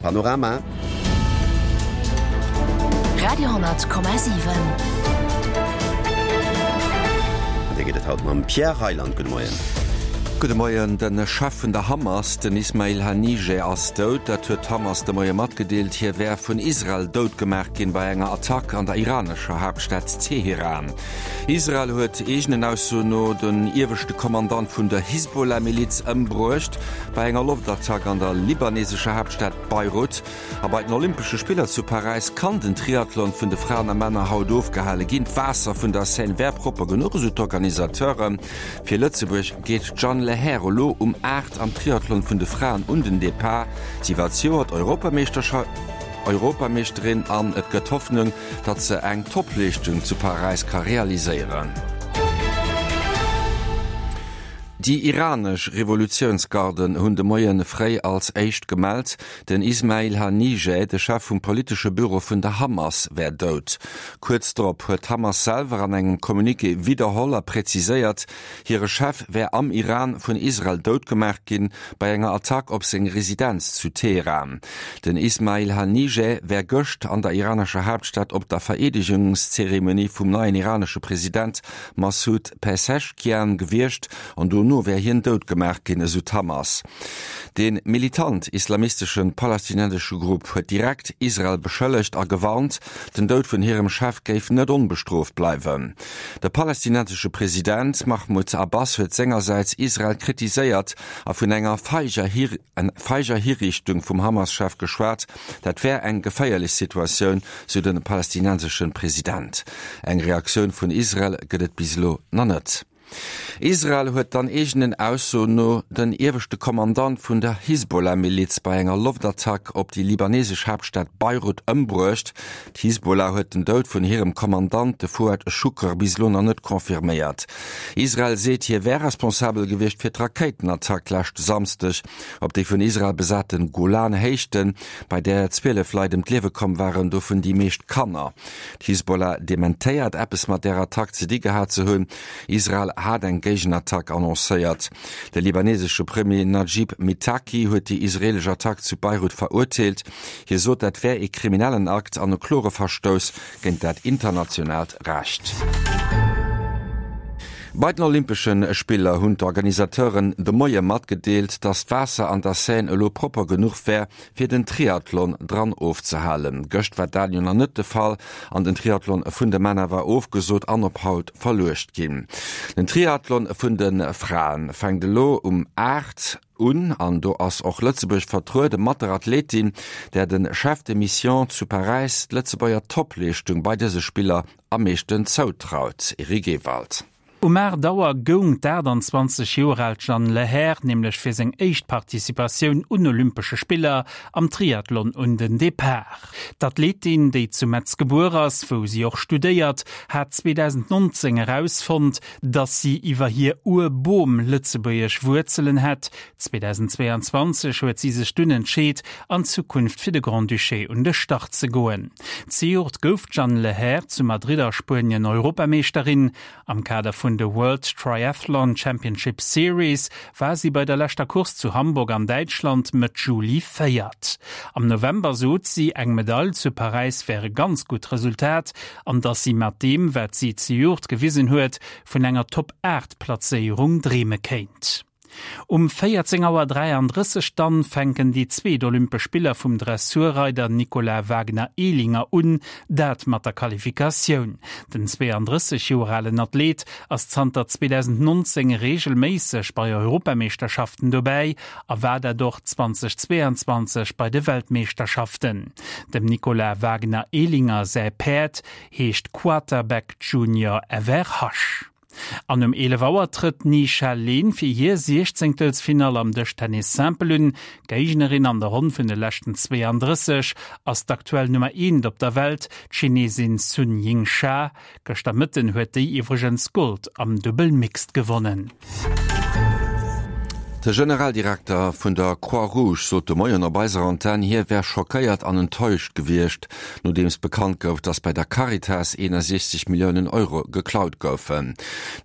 Panorama. Radio,7. An dee geet et haut mam Pierre Reyland. Gudde Moien. Gudde Moien. De Chef vun der Hamas, den Ismail Hanijeh, ass dout. Dat huet d'Hamas de Moie matgedeelt. Hie wär vun Israel dout gemaach ginn bei enger Attack an der iranescher Haaptstad Teheran. Israel huet eegenen Aussoen no den ieweschte Kommandant vun der Hisbollah-Miliz ëmbruecht bei enger Loftattack an der libanesescher Haaptstad Beirut. A bei den Olympesche Spiller zu Paräis kann den Triathlon vun de Fraen a Männer haut ofgehale ginn. D'Waasser vun der Seine wär propper genuch, esou d'Organisateuren. Fir Lëtzebuerg geet d'Jeanne Lehair elo um 8 am Triathlon vun de Fraen un den Depart. Si war zejoert Europameeschterin an et gëtt Hoffnung, datt se eng Toppleeschtung zu Paräis ka realiséieren. Déi iranesch Revolutiounsgarden hunn de Moie fréi als éischt gemellt, den Ismail Hanijeh, de Chef vum politesche Büro vun der Hamas, wär dout. Kuerz drop huet d'Hamas selwer an engem Communiqué widderholl a präziséiert, hire Chef wär am Iran vun Israel dout gemaach ginn, bei enger Attack op seng Residenz zu Teheran. Den Ismail Hanijeh wär gëscht an der iranescher Haaptstad op der Vereedegungszeremonie vum neien iranesche President Massoud Pezeshkian gewiescht an dono wär hien dout gemaach ginn, esou d'Hamas. De militant-islamistesche palästinensesche Grupp huet direkt Israel beschëllegt a gewarnt, den Doud vun hirem Chef géif net onbestrooft bleiwen. De palästinensesche President Mahmoud Abbas huet sengersäits Israel kritiséiert a vun enger feiger Hiriichtung vum Hamas-Chef geschwat. Dat wär eng geféierlech Situatioun, sou de palästinensesche President. Eng Reaktioun vun Israel gëtt et bis elo nach net. Israel huet dann eegenen Aussoen no den ieweschte Kommandant vun der Hisbollah-Miliz bei enger Loftattack op déi libanesesch Haaptstad Beirut ëmbruecht. D'Hisbollah huet den Doud vun hirem Kommandant, de Fuad Schukr, bis elo nach net confirméiert. Israel seet, hie wär responsabel gewiescht fir d'Rakéitenattack leschte Samsdeg op déi vun Israel besate Golan-Héichten, bei där 12 Leit ëm d'Liewe komm waren, dovun déi meescht Kanner. D'Hisbollah dementéiert, eppes mat där Attack ze di gehat ze hunn. Israel hat eng Géigenattack annoncéiert. De libanesesche Premier Najib Mitaki huet déi israeelesch Attack zu Beirut verurteelt. Hie sot, dat wär ee kriminellen Akt an e klore Verstouss géint dat internationaalt Recht. Bei den Olympesche Spiller hunn d'Organisateuren de Moie matgedeelt, datt d'Waasser an der Seine elo propper genuch wär, fir den Triathlon dran ofzehalen. Gëscht war dat jo nach net de Fall an den Triathlon vun de Männer war ofgesot an op haut verluecht ginn. Den Triathlon vun de Fraen fänkt elo um 8 un an do ass och Lëtzebuerg vertruede mat der Athletin, där de Chef de Mission zu Paräis d'Lëtzebuerger Toppleeschtung bei dëse Spiller am meeschten zoutraut. Eric Ewald. Um 8 Auer goung d'28 Joer al Jeanne Lehair nämlech fir seng éischt Participatioun un Olympesche Spiller am Triathlon un den Depart. D'Athletin, déi zu Metz gebuer ass, wou si och studéiert, hat 2019 erausfonnt, dass si iwwer hir Ur-Bom lëtzebuergesch Wuerzelen hätt. 2022 huet si sech dunn entscheet, an Zukunft fir de Grand-Duché un de Start ze goen. Zejoert gouf d'Jeanne Lehair zu Madrid a Spuenien Europameeschterin. Am Kader vun de World Triathlon Championship Series war si bei der leschter Course zu Hamburg an Däitschland Mëtt Juli Véiert. Am November sot si, eng Medail zu Paräis wär e ganz gutt Resultat an dass si mat deem, wat si zejoert gewisen huet, vun enger Top 8 Plazéierung dreeme kéint. Um 14 Auer 33 dann fänken déi zweet Olympesch Spiller vum Dressurreider Nicolas Wagner-Ehlinger un, dat mat der Qualifikatioun. Den 32 Joer alen Athlet ass zanter 2019 reegelméisseg bei Europameeschterschaften dobäi a war dat och 2022 bei de Weltmeeschterschaften. Dem Nicolas Wagner-Ehlinger säi Päerd heescht Quarterback Junior Everhasch. An um 11 Auer trëtt d'Ni Sha Lin fir hir Siechzéngtelsfinall am Dëschtennis Simple un. Géignerin an der Ronn vun de leschten 32 ass d'aktuell Nummer eent op der Welt, d'Chinesin Sun Yingsha. Gëschter Mëtten huet déi iwwregens Gold am Dubbel Mixed gewonnen. De Generaldirekter vun der Croix-Rouge sot de Moien op eiser Antenn, hie wär schockéiert an enttäuscht gewiescht, nodeems bekannt gouf, datt bei der Caritas 61 Milliounen Euro geklaut goufen.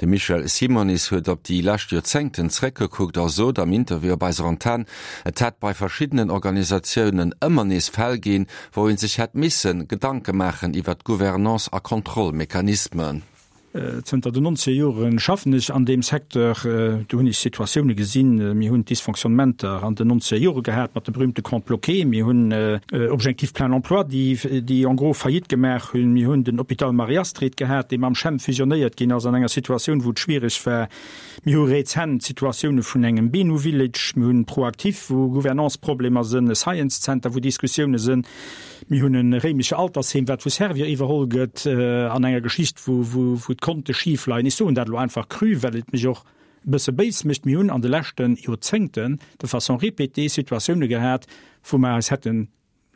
De Michel Simonis huet op déi lescht Joerzéngten zréckgekuckt a sot am Interview op eiser Antenn, et hätt bei verschiddenen Organisatiounen ëmmer nees Fäll ginn, wou ee sech hätt misse Gedanke maachen iwwer d'Gouvernance a Kontrollmechanismen. Zënter den nonzeger Jore schaffen ech an deem Secteur. Do hunn ech Situatioune gesinn. Mir hunn Dysfonctionnementer an den nonzeger Jore gehat mat de berühmte Comptes bloqués. Mir hunn Objectif plein emploi, déi en gros Faillite gemaach hunn. Mir hunn den Hôpital Marie-Astrid gehat, dee mam CHEM fusionéiert ginn ass an enger Situatioun, wou et schwiereg war. Mir hu rezent d'Situatioune vun engem BENU Village. Mir hunn ProActif, wou Gouvernanceproblemer sënn, e Science Center, wou Diskussioune sënn. Mir hunn e réimesche Altersheem, wat vu Servior iwwerholl gëtt, an enger Geschicht, wou d'Konte schif leien. Ech soen dat elo einfach cru, well et mech och e bësse béis mécht. Mir hunn an de leschte Joerzéngten de façon répétée Situatioune gehat, wou mer eis hätte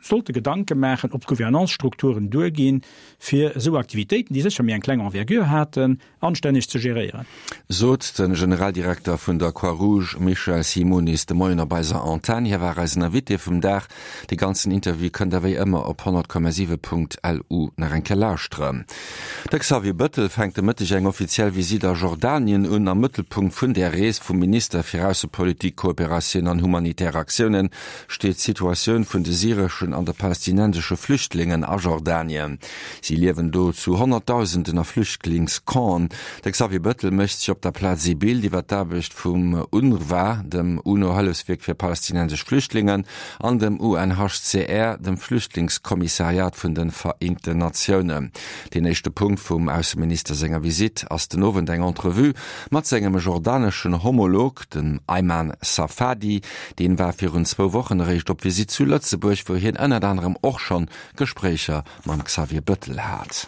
sollte Gedanke maachen, ob d'Gouvernance-Strukturen duerginn, fir esou Aktivitéiten, déi sécher méi eng kleng Envergure haten, anstänneg ze geréieren. Sot de Generaldirekter vun der Croix-Rouge Michel Simonis de Moien op eiser Antenn. Hie war eisen Invité vum Dag. De ganzen Interview kënnt der wéi ëmmer op 100,7.lu nach eng Kéier lauschteren. De Xavier Bëttel fänkt de Mëtteg eng offiziell Visitt a Jordanien un. Am Mëttelpunkt vun där Rees vum Minister fir Aussepolitik, Kooperatioun an humanitär Aktiounen steet d'Situatioun vun de syreschen an de palästinensesche Flüchtlingen a Jordanien. Si liewen do zu Honnertdausenden a Flüchtlingscampen. De Xavier Bëttel mécht sech op der Plaz ee Bild iwwer d'Aarbecht vum UNRWA, dem UNO-Hëllefswierk fir palästinensesch Flüchtlingen, an dem UNHCR, dem Flüchtlingskommissariat vun de Vereenten Natiounen. Deen éischte Punkt vum Ausseminister senger Visitt ass den Owend eng Entrevue mat sengem jordaneschen Homolog, dem Ayman Safadi. Deen war virun zwou Wochen eréischt op Visitt zu Lëtzebuerg, wou hien ënnert anerem och schonn Gespréicher mam Xavier Bëttel hat.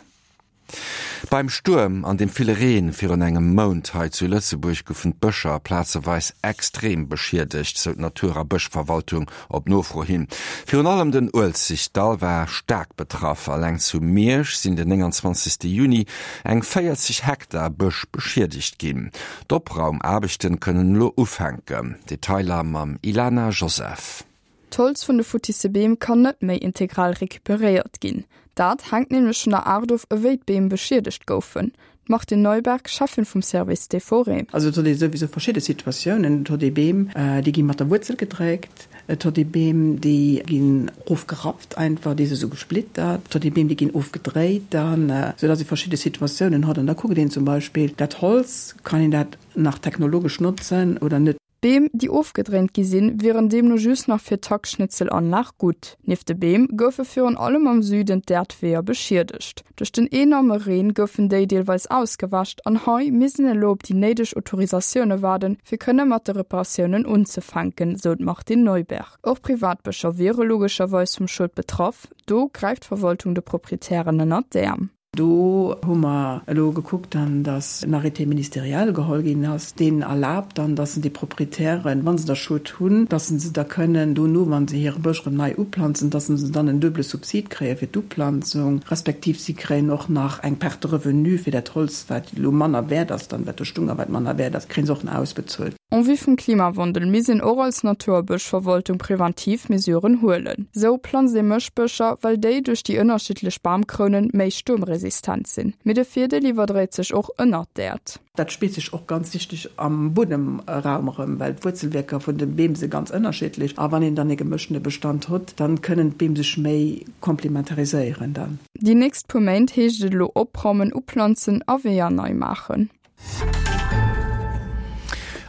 Beim Stuerm an dem ville Reen virun engem Mount hei zu Lëtzebuerg goufen d'Bëscher plazeweis extrem beschiedegt, sou d'Natur a Bëschverwaltung op Nofro hin. Virun allem den Uelzechtdall war staark betraff. Alleng zu Miersch sinn den 29 Juni eng 40 Hektar Bësch beschiedegt ginn. D'Opraumaarbechten kënnen elo ufänken. Detailer mam Ilana Joseph. D'Holz vun de futtisse Beem kann net méi integral recuperéiert ginn. Dat hänkt nämlech vun der Aart of, ewéi d'Beem beschiedegt goufen. D'Martine Neuberg, Cheffin vum Service des Forêts. Also et huet ee souwisou verschidde Situatiounen. Et huet ee Beem, déi gi mat der Wuerzel gedréckt. Et huet ee Beem, déi ginn erofgerappt einfach, déi si sou gesplittert. Et huet ee Beem, déi ginn ofgedréit dann, soudatt ee verschidde Situatiounen huet. An da kuckt een zum Beispill dat Holz, kann een dat nach technologesch notzen oder net. Beem, déi ofgedréint gi sinn, wieren deemno just nach fir d'Hackschnitzelanlag gutt. Nieft de Beem goufe virun allem am Süden d'Äerdweeër beschiedegt. Duerch den enorme Reen goufen déi deelweis ausgewäscht an hei misst een elo op déi néideg Autorisatioune waarden, fir kënne mat de Reparatiounen unzefänken, sou d'Martine Neuberg. Och Privatbëscher wiere logescherweis vum Schued betraff. Do gräift d'Verwaltung de Proprietären ënnert d'Äerm. Do hu mer elo gekuckt dann, dass en Arrêté ministériel geholl ginn ass, deen erlaabt dann, dass en déi Proprietären, wa se da Schued hunn, dass se da kënnen dono, wa se hire Bësch erëm nei uplanzen, dass se dann en duebele Subsid kréie fir d'Uplanzung, respektiv si kréien och nach eng Perte de revenu fir dat Holz, wat elo manner wäert ass dann, wat do stung a wat manner wäert ass, kréie se och nach ausbezuelt. En vue vum Klimawandel misst een och als Natur a Bëschverwaltung preventiv Mesuren huelen. Sou planzt ee Mëschbëscher, well déi duerch déi ënnerschiddlech Bamkrounen méi stuermresistent sinn. Mee de Virdeel iwwerdréit sech och ënnert d'Äerd. Dat spillt sech och ganz wichteg am Buedemraum erëm, well d'Wuerzelwierker vun de Beem si ganz ënnerschiddlech a wann een dann ee gemëschtene Bestand hutt, dann kënnen d'Beem sech méi komplementariséieren dann. Déi nächst puer Méint heescht et elo opraumen, uplanzen a Weeër nei maachen.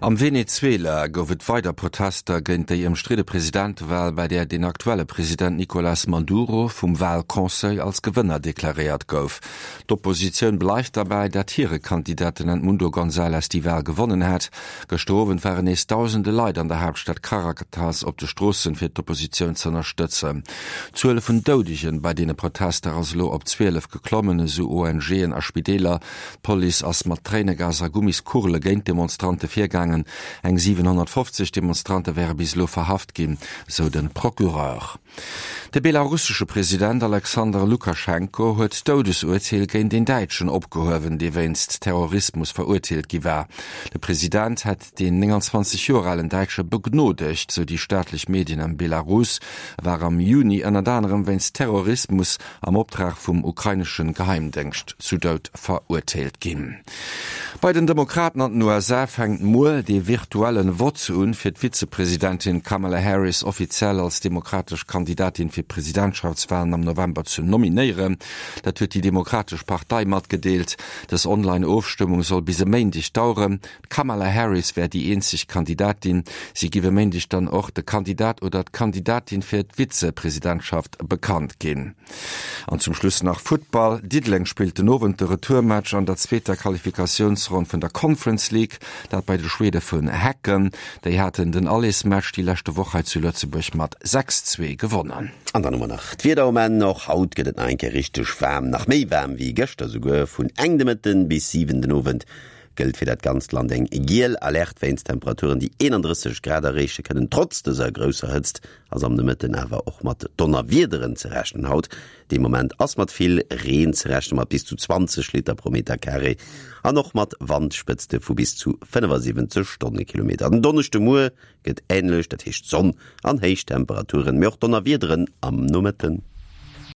Am Venezuela gouf et weider Protester géint déi ëmstridde Presidentewal, bei där den aktuelle President Nicolas Maduro vum Walconseil als Gewënner deklaréiert gouf. D'Oppositioun bleift derbäi, dat hire Kandidat, den Edmundo González, déi Wal gewonnen hätt. Gëschter Owend waren nees dausende Leit an der Haaptstad Caracas op de Stroossen, fir d'Oppositioun z'ënnerstëtzen. D'Zuel vun Doudegen bei deene Protester ass elo op 12 geklommen, esou ONGen a Spideeler. D'Police ass mat Tréinegas a Gummiskugele géint d'Demonstrante virgaangen. Eng 750 Demonstrante wäre bis elo verhaft ginn, sou de Procureur. De belarussesche President Alexander Lukaschenko huet d'Doudesurteel géint een Däitschen opgehuewen, dee wéinst Terrorismus verurteelt gi war. De President hätt deen 29 Joer alen Däitsche begnodegt, sou déi staatlech Medien am Belarus. E war am Juni ënnert anerem wéinst Terrorismus am Optrag vum ukrainesche Geheimdéngscht zu Doud verurteelt ginn. Bei den Demokraten an den USA fänkt muer dee virtuellen Vott un, fir d'Vizepresidentin Kamala Harris offiziell als demokratesch Kandidatin fir d'Presidentschaftswalen am November ze nominéieren. Dat huet déi Demokratesch Partei matgedeelt. Dës Online-Ofstëmmung soll bis e Méindeg daueren. D'Kamala Harris wär déi eenzeg Kandidatin. Si giff e Méindeg dann och de Kandidat oder d'Kandidatin fir d'Vizepresidentschaft bekannt ginn. An zum Schluss nach Futtball, Diddeleng spillt den Owend de Retourmatch an der zweeter Qualifikatiounsronn vun der Conference League, dat bei de Schwede vun Häcken. Déi haten den Allersmatch déi leschte Woch hei zu Lëtzebuerg mat 6, 2 gewonnen. An dann hu mer nach d'Wieder um Enn. Och haut gëtt et nach eng Kéier richteg waarm, nach méi waarm wéi gëschter souguer. Vun eng de Mëtten bis 7 den Owend gëllt fir dat ganzt Land eng giel Alerte wéinst Temperaturen, déi 31 Grad erreeche kënnen. Trotz dëser grousser Hëtzt ass am Nomëtten awer och mat Donnerwiederen ze rechnen. Haut de Moment ass mat vill Reen ze rechnen, mat bis zu 20 Liter pro Meter Carré an och mat Wandspëtzte vu bis zu 75 Stonnekilometer. Den Donneschdemuer gëtt änlech, dat heescht Sonn an héich Temperaturen, mee och Donnerwiederen am Nomëtten.